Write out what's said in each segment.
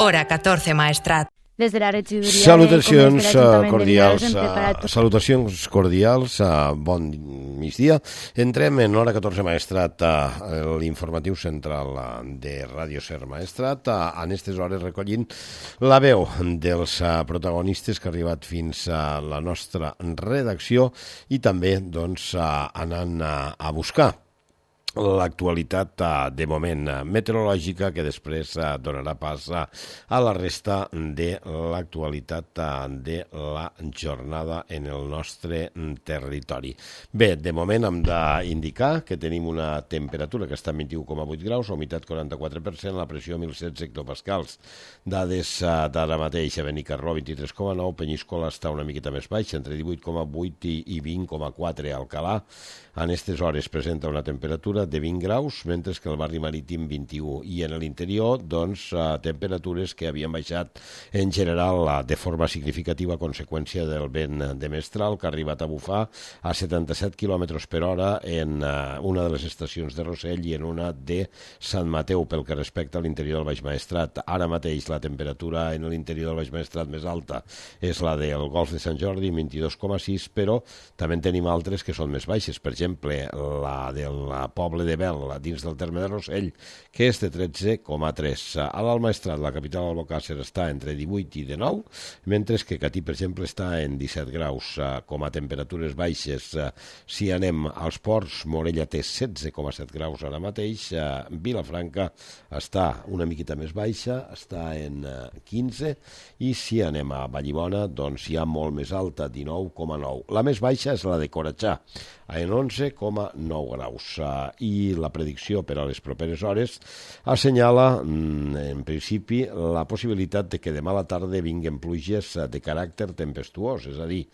Hora 14 Maestrat. Des de la regidoria Salutacions cordials, bon migdia. Entrem en Hora 14 Maestrat, l'informatiu central de Ràdio Ser Maestrat, en aquestes hores recollint la veu dels protagonistes que ha arribat fins a la nostra redacció i també anant a buscar l'actualitat de moment meteorològica que després donarà pas a la resta de l'actualitat de la jornada en el nostre territori. Bé, de moment hem d'indicar que tenim una temperatura que està en 21,8 graus, la humitat 44%, la pressió 1.016 hectopascals. Dades d'ara mateix a Benicarló 23,9, Penyíscola està una miqueta més baixa, entre 18,8 i 20,4 a Alcalà. En aquestes hores presenta una temperatura de 20 graus, mentre que el barri marítim 21. I en l'interior, temperatures que havien baixat en general de forma significativa a conseqüència del vent de mestral que ha arribat a bufar a 77 km per hora en una de les estacions de Rossell i en una de Sant Mateu pel que respecta a l'interior del Baix Maestrat. Ara mateix la temperatura en l'interior del Baix Maestrat més alta és la del Golf de Sant Jordi, 22,6, però també en tenim altres que són més baixes. Per exemple, la del poble de Bel, dins del terme de Rossell, que és de 13,3. A l'Alt Maestrat, la capital Albocàsser, està entre 18 i 19, mentre que Catí, per exemple, està en 17 graus. Com a temperatures baixes, si anem als ports, Morella té 16,7 graus ara mateix, Vilafranca està una miqueta més baixa, està en 15, i si anem a Vallibona, doncs hi ha molt més alta, 19,9. La més baixa és la de Coratxà, en 11,9 graus. I la predicció per a les properes hores assenyala, en principi, la possibilitat de que demà a la tarda vinguen pluges de caràcter tempestuós, és a dir,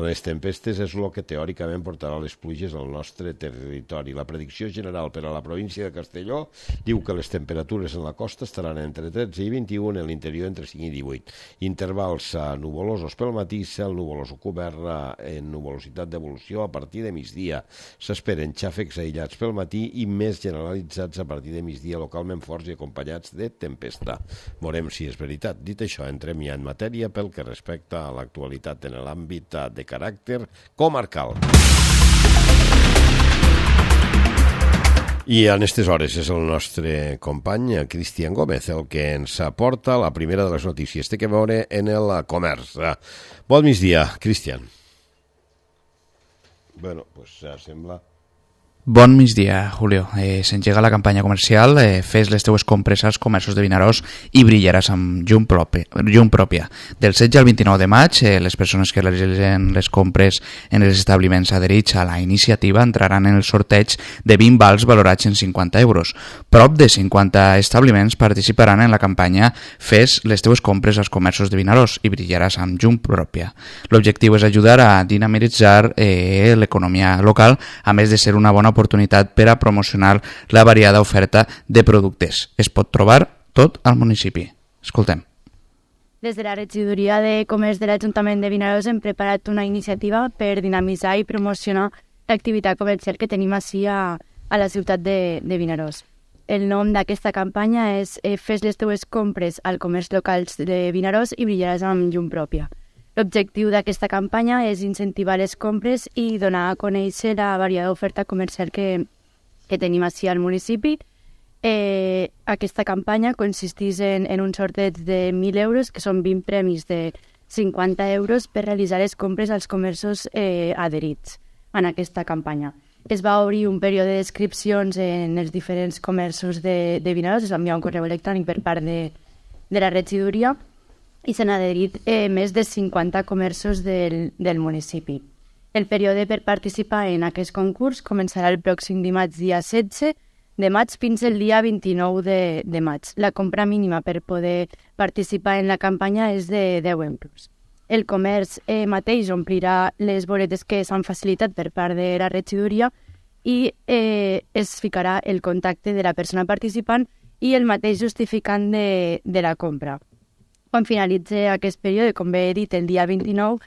les tempestes és el que teòricament portarà les pluges al nostre territori. La predicció general per a la província de Castelló diu que les temperatures en la costa estaran entre 13 i 21, en l'interior entre 5 i 18. Intervals nuvolosos pel matí, cel nuvolós o cobert en nuvolositat d'evolució a partir de migdia. S'esperen xàfecs aïllats pel matí i més generalitzats a partir de migdia, localment forts i acompanyats de tempesta. Veurem si és veritat. Dit això, entrem ja en matèria pel que respecta a l'actualitat en l'àmbit de caràcter comarcal. I en aquestes hores és el nostre company Cristian Gómez el que ens aporta la primera de les notícies. Té que veure en el comerç. Bon migdia, Cristian. Bueno, pues sembla... Bon migdia, Julio. S'engega la campanya comercial Fes les teues compres als comerços de Vinaròs i brillaràs amb llum pròpia. Del 16 al 29 de maig, les persones que realitzen les compres en els establiments adherits a la iniciativa entraran en el sorteig de 20 vals valorats en 50 euros. Prop de 50 establiments participaran en la campanya Fes les teues compres als comerços de Vinaròs i brillaràs amb llum pròpia. L'objectiu és ajudar a dinamitzar l'economia local, a més de ser una bona oportunitat per a promocionar la variada oferta de productes. Es pot trobar tot al municipi. Escoltem. Des de la regidoria de comerç de l'Ajuntament de Vinaròs hem preparat una iniciativa per dinamitzar i promocionar l'activitat comercial que tenim així a la ciutat de Vinaròs. El nom d'aquesta campanya és Fes les teues compres al comerç locals de Vinaròs i brillaràs amb llum pròpia. L'objectiu d'aquesta campanya és incentivar les compres i donar a conèixer la variada oferta comercial que tenim així al municipi. Aquesta campanya consisteix en un sorteig de 1.000 euros, que són 20 premis de 50 euros per realitzar les compres als comerços adherits en aquesta campanya. Es va obrir un període d'inscripcions en els diferents comerços de Vinaròs, es va enviar un correu electrònic per part de la regidoria, i s'han adherit més de 50 comerços del municipi. El període per participar en aquest concurs començarà el pròxim dimarts, dia 16 de maig, fins el dia 29 de maig. La compra mínima per poder participar en la campanya és de 10 euros. El comerç mateix omplirà les boletes que s'han facilitat per part de la regidoria i es ficarà el contacte de la persona participant i el mateix justificant de la compra. Quan finalitzi aquest període, com bé he dit, el dia 29,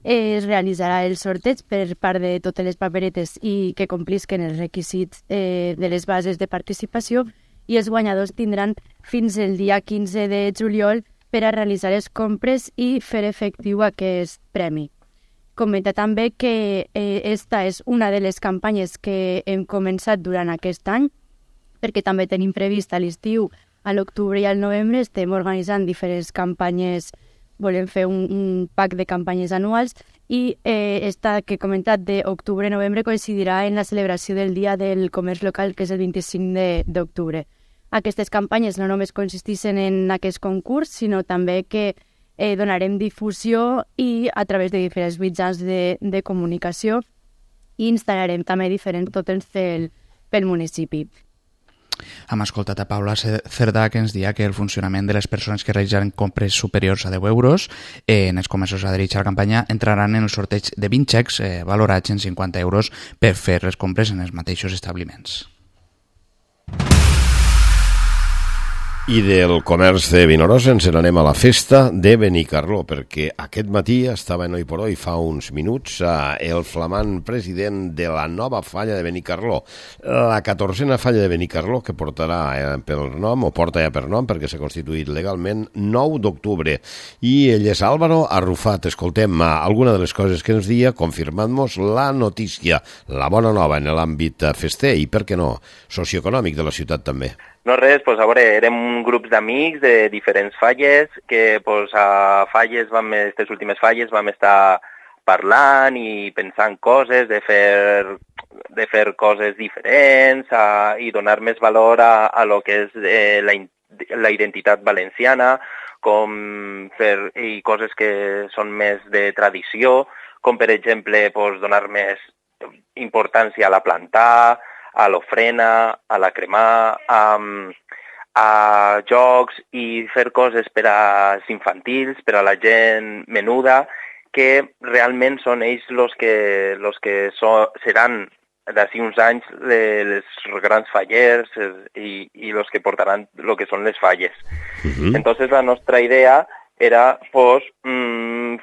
es realitzarà el sorteig per part de totes les paperetes i que complisquen els requisits de les bases de participació i els guanyadors tindran fins el dia 15 de juliol per a realitzar les compres i fer efectiu aquest premi. Comenta també que esta és una de les campanyes que hem començat durant aquest any, perquè també tenim previst a l'estiu, a l'octubre i al novembre, estem organitzant diferents campanyes, volem fer un pack de campanyes anuals, i esta que he comentat d'octubre-novembre coincidirà en la celebració del Dia del Comerç Local, que és el 25 d'octubre. Aquestes campanyes no només consisteixen en aquest concurs, sinó també que donarem difusió i a través de diferents mitjans de comunicació i instal·larem també diferents tòtems pel municipi. Hem escoltat a Paula Cerdà, que ens dia que el funcionament de les persones que realitzen compres superiors a 10 euros en els comerços adherits a la campanya entraran en el sorteig de 20 xecs valorats en 50 euros per fer les compres en els mateixos establiments. I del comerç de Vinaròs ens n'anem a la festa de Benicarló, perquè aquest matí estava en Oi por Oi, fa uns minuts, el flamant president de la nova falla de Benicarló, la 14a falla de Benicarló, que portarà pel nom, o porta ja per nom, perquè s'ha constituït legalment 9 d'octubre. I ell és Álvaro Arrufat. Escoltem alguna de les coses que ens dia, confirmant-nos la notícia, la bona nova en l'àmbit fester i, per què no, socioeconòmic de la ciutat també. No res, pues a veure, érem grups d'amics de diferents falles que pues, a falles, aquestes últimes falles vam estar parlant i pensant coses, de fer coses diferents i donar més valor a lo que és la identitat valenciana, com fer coses que són més de tradició, com per exemple pues, donar més importància a la plantar, a l'ofrena, a la cremar, a jocs i fer coses per als infantils, per a la gent menuda, que realment són ells els que seran d'ací uns anys les grans fallers i els que portaran el que són les falles. Entonces la nostra idea era pues,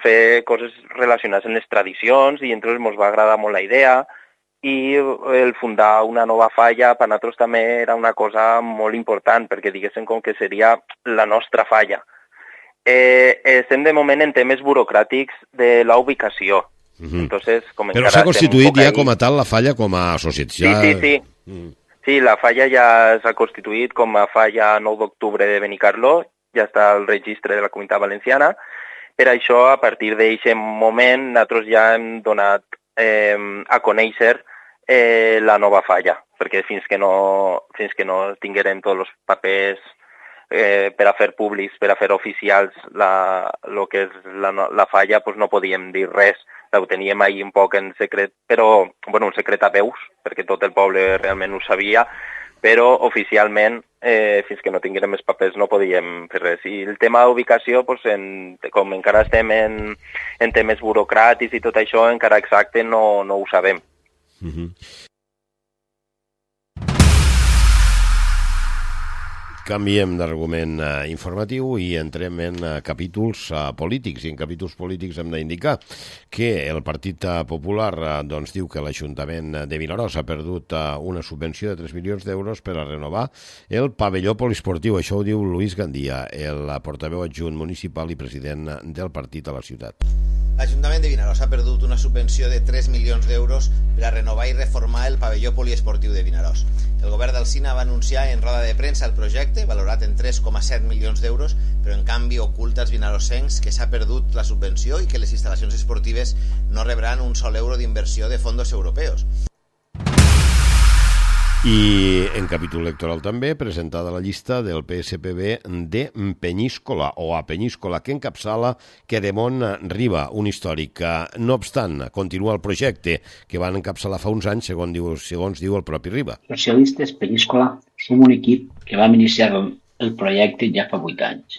fer coses relacionades amb les tradicions i entonces ens va agradar molt la idea i el fundar una nova falla per nosaltres també era una cosa molt important perquè diguéssim com que seria la nostra falla. Estem de moment en temes burocràtics de la ubicació. Entonces, però s'ha constituït ja com a tal la falla com a associació? Sí. Sí, la falla ja s'ha constituït com a falla 9 d'octubre de Benicarló, ja està al registre de la Comunitat Valenciana. Per això, a partir d'aquest moment, nosaltres ja hem donat a conèixer la nova falla, perquè fins que no tinguérem tots els papers per a fer públics, per a fer oficials el que és la falla, doncs no podíem dir res. Ho teníem ahir un poc en secret, però un secret a veus, perquè tot el poble realment ho sabia, però oficialment, fins que no tinguérem els papers, no podíem fer res. I el tema d'ubicació, com encara estem en temes burocràtics i tot això, encara exacte no ho sabem. Canviem d'argument informatiu i entrem en capítols polítics. I en capítols polítics hem d'indicar que el Partit Popular diu que l'Ajuntament de Vinaròs ha perdut una subvenció de 3 milions d'euros per a renovar el pavelló poliesportiu. Això ho diu Luis Gandia, el portaveu adjunt municipal i president del partit a la ciutat. L'Ajuntament de Vinaròs ha perdut una subvenció de 3 milions d'euros per a renovar i reformar el pavelló poliesportiu de Vinaròs. El govern del Sina va anunciar en roda de premsa el projecte, valorat en 3,7 milions d'euros, però en canvi oculta als vinarossencs que s'ha perdut la subvenció i que les instal·lacions esportives no rebran un sol euro d'inversió de fondos europeus. I en capítol electoral també presentada la llista del PSPB de Penyíscola o a Penyíscola, que encapçala Queremont Riba, un històric. No obstant, continua el projecte que van encapçalar fa uns anys, segons diu el propi Riba. Socialistes Penyíscola som un equip que vam iniciar el projecte ja fa 8 anys.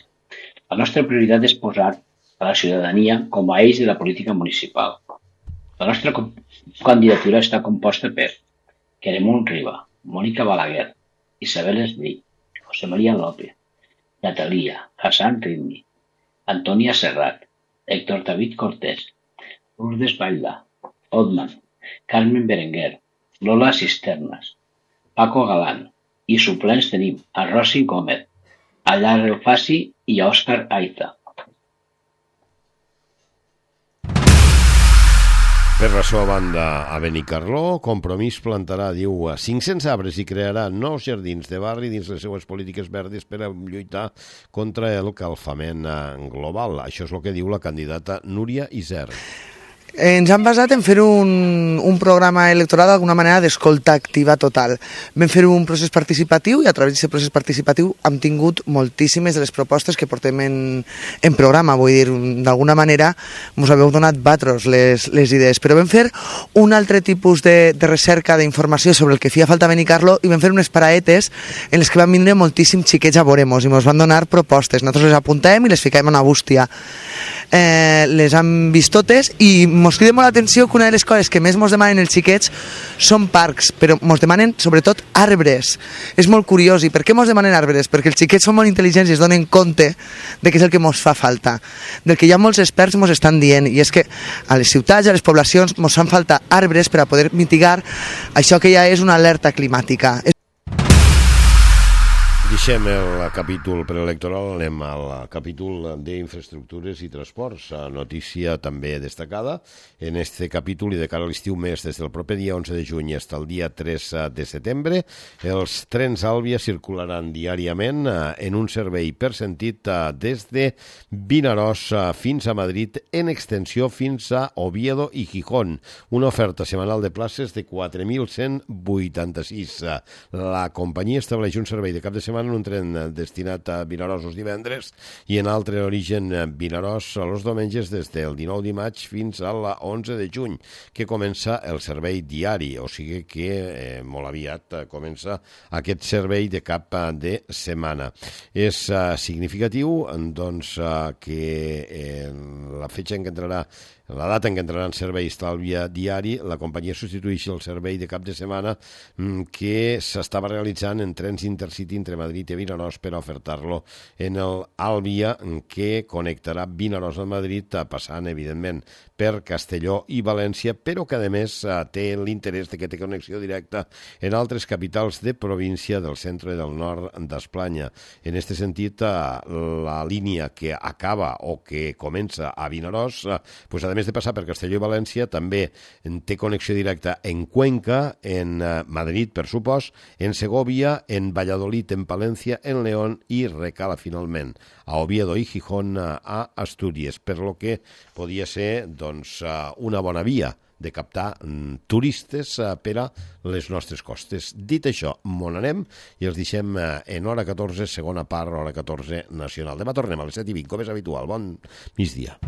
La nostra prioritat és posar a la ciutadania com a eix de la política municipal. La nostra candidatura està composta per Queremont Riba, Mònica Balaguer, Isabel Esbrí, José María López, Natalia, Hassan Ridmi, Antonia Serrat, Héctor David Cortés, Lourdes Baila, Otman, Carmen Berenguer, Lola Cisternas, Paco Galán, I suplents tenim a Rossi Gómez, a Lar Elfasi i a Òscar Aiza. Per la seva banda, a Benicarló, Compromís plantarà, diu, 500 arbres i crearà nous jardins de barri dins les seues polítiques verdes per a lluitar contra el calfament global. Això és el que diu la candidata Núria Iser. Ens hem basat en fer un programa electoral d'alguna manera d'escolta activa total. Vam fer un procés participatiu i a través d'aquest procés participatiu hem tingut moltíssimes de les propostes que portem en programa. Vull dir, d'alguna manera ens haveu donat vosaltres les idees, però vam fer un altre tipus de recerca d'informació sobre el que feia falta a Benicarló i vam fer unes paraetes en les que van vindre moltíssims xiquets a veure-mos i ens van donar propostes. Nosaltres les apuntàvem i les ficàvem a una bústia. Les hem vist totes i mos crida molt l'atenció que una de les coses que més mos demanen els xiquets són parcs, però mos demanen sobretot arbres. És molt curiós. I per què mos demanen arbres? Perquè els xiquets són molt intel·ligents i es donen compte de què és el que mos fa falta. Del que ja molts experts mos estan dient, i és que a les ciutats, a les poblacions, mos fan falta arbres per a poder mitigar això que ja és una alerta climàtica. Deixem el capítol preelectoral, anem al capítol d'infraestructures i transports. Notícia també destacada en este capítol i de cara a l'estiu mes, des del proper dia 11 de juny fins al dia 3 de setembre, els trens Àlvia circularan diàriament en un servei per sentit des de Vinaròs fins a Madrid, en extensió fins a Oviedo i Gijón. Una oferta setmanal de places de 4.186. La companyia estableix un servei de cap de setmana en un tren destinat a Vinaròs els divendres i en altre origen Vinaròs els diumenges des del 19 de maig fins al 11 de juny, que comença el servei diari, o sigui que molt aviat comença aquest servei de cap de setmana. És significatiu doncs, que la fetxa en què entrarà la data en què entrarà en servei Àlvia diari, la companyia substitueix el servei de cap de setmana que s'estava realitzant en trens Intercity entre Madrid i Vinaròs per a ofertar-lo en el Àlvia, que connectarà Vinaròs a Madrid, passant, evidentment, per Castelló i València, però que, a més, té l'interès de que té connexió directa en altres capitals de província del centre i del nord d'Espanya. En aquest sentit, la línia que acaba o que comença a Vinaròs, pues, a més de passar per Castelló i València, també té connexió directa en Cuenca, en Madrid, per supòs, en Segovia, en Valladolid, en Palència, en León i recala finalment a Oviedo i Gijón, a Astúries, per lo que podia ser doncs, una bona via de captar turistes per a les nostres costes. Dit això, m'on anem i els deixem en hora 14, segona part, hora 14 nacional. Demà tornem a les 7:20, com és habitual. Bon migdia.